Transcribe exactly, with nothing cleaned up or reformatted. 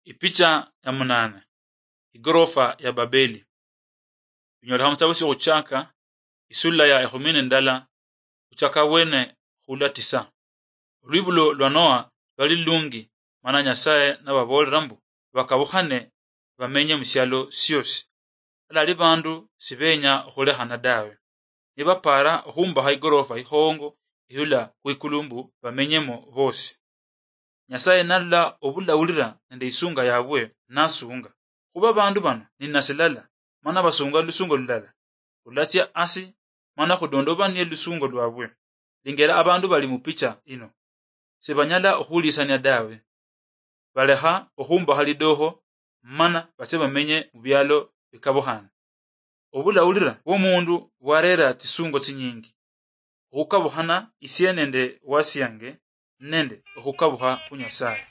Ipicha ya munane. Igorofa ya Babeli. Binyolekha mu sitabo sy'okhuchaka, isula ya ekhumi nendala, khuchaka wene khula tisa. Olwibulo lwa Noa lwali lulungi, mana Nyasaye nababoolera mbu bakabukhane bamenye mu syalo syosi. Alali bandu sibenya okhulekhana dawe. Nibapaara okhumbakha igorofa ikhongo ihula khwikulu mbu bamenyemo bosi. Nyasaye nalola obulawulira nende isunga yabwe, nasunga. Khuba abandu bano ni nasilala, mana basunga lusungo lulala, lulatsia asi, mana khudondobanie lusungo lwabwe. Lingera abandu bali mu picha ino. Sibanyala okhuhulisania dawe. Balekha okhumbakha lidokho, mana batse bamenye mu bialo bikabukhane. Obulawulira bw'omundu bwarera tsisungo tsinyingi. Okhukabukhana isie nende wasiange, nende okhukabukha khu Nyasaye.